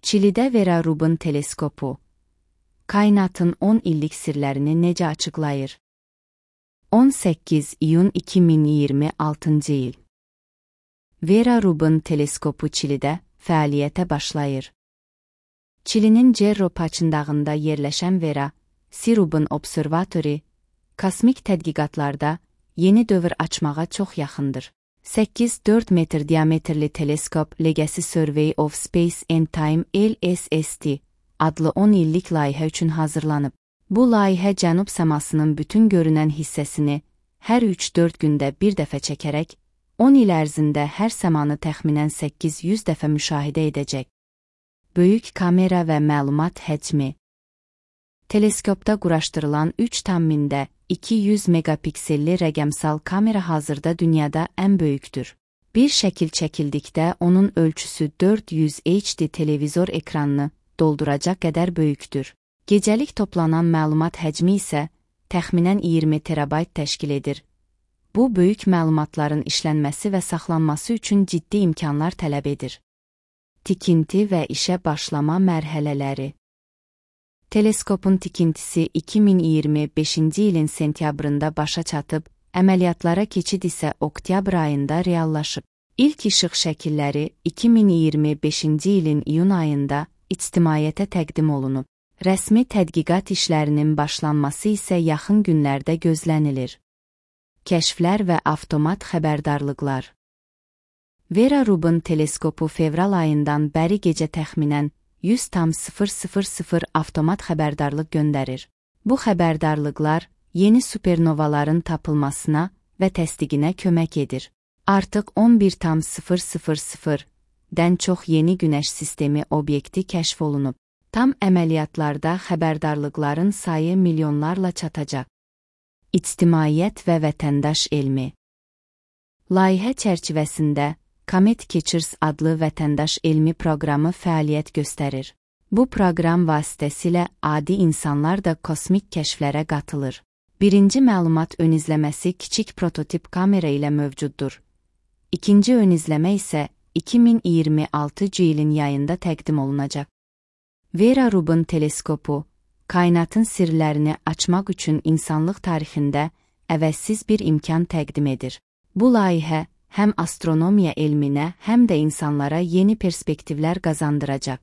Çilidə Vera Rubin teleskopu kainatın 10 illik sirlərini necə açıqlayır? 18 iyun 2026 il. Vera Rubin teleskopu Çilidə fəaliyyətə başlayır. Çilinin Cerro Paçındağında yerləşən Vera Rubin Observatory, kosmik tədqiqatlarda yeni dövr açmağa çox yaxındır. 8-4 metr diametrli teleskop Legacy Survey of Space and Time LSST adlı 10 illik layihə üçün hazırlanıb. Bu layihə cənub səmasının bütün görünən hissəsini hər 3-4 gündə bir dəfə çəkərək, 10 il ərzində hər səmanı təxminən 800 dəfə müşahidə edəcək. Böyük kamera və məlumat həcmi. Teleskopda quraşdırılan 3,200 megapikselli rəqəmsal kamera hazırda dünyada ən böyükdür. Bir şəkil çəkildikdə onun ölçüsü 400 HD televizor ekranını dolduracaq qədər böyükdür. Gecəlik toplanan məlumat həcmi isə təxminən 20 terabayt təşkil edir. Bu, böyük məlumatların işlənməsi və saxlanması üçün ciddi imkanlar tələb edir. Tikinti və işə başlama mərhələləri. Teleskopun tikintisi 2025-ci ilin sentyabrında başa çatıb, əməliyyatlara keçid isə oktyabr ayında reallaşıb. İlk işıq şəkilləri 2025-ci ilin iyun ayında ictimaiyyətə təqdim olunub. Rəsmi tədqiqat işlərinin başlanması isə yaxın günlərdə gözlənilir. Kəşflər və avtomat xəbərdarlıqlar. Vera Rubin teleskopu fevral ayından bəri gecə təxminən 100,000 avtomat xəbərdarlıq göndərir. Bu xəbərdarlıqlar yeni supernovaların tapılmasına və təsdiqinə kömək edir. Artıq 11,000-dən çox yeni günəş sistemi obyekti kəşf olunub. Tam əməliyyatlarda xəbərdarlıqların sayı milyonlarla çatacaq. İctimaiyyət və vətəndaş elmi. Layihə çərçivəsində Comet Catchers adlı vətəndaş elmi proqramı fəaliyyət göstərir. Bu proqram vasitəsilə adi insanlar da kosmik kəşflərə qatılır. Birinci məlumat ön izləməsi kiçik prototip kamera ilə mövcuddur. İkinci ön izləmə isə 2026 ilin yayında təqdim olunacaq. Vera Rubin teleskopu, kainatın sirlərini açmaq üçün insanlıq tarixində əvəzsiz bir imkan təqdim edir. Bu layihə həm astronomiya elminə, həm də insanlara yeni perspektivlər qazandıracaq.